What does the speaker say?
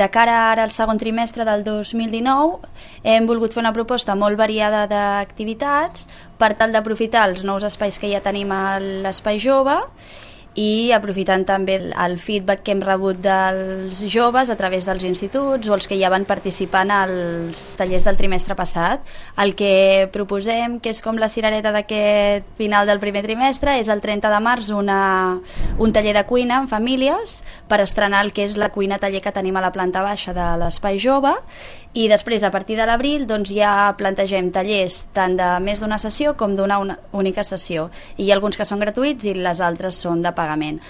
De cara ara al segon trimestre del 2019 hem volgut fer una proposta molt variada d'activitats per tal d'aprofitar els nous espais que ja tenim a l'Espai Jove i aprofitant també el feedback que hem rebut dels joves a través dels instituts o els que ja van participant als tallers del trimestre passat. El que proposem, que és com la cirereta d'aquest final del primer trimestre, és el 30 de març un taller de cuina amb famílies per estrenar el que és la cuina taller que tenim a la planta baixa de l'Espai Jove, i després a partir de l'abril ja plantegem tallers tant de més d'una sessió com d'una única sessió, i hi ha alguns que són gratuïts i les altres són de pagament.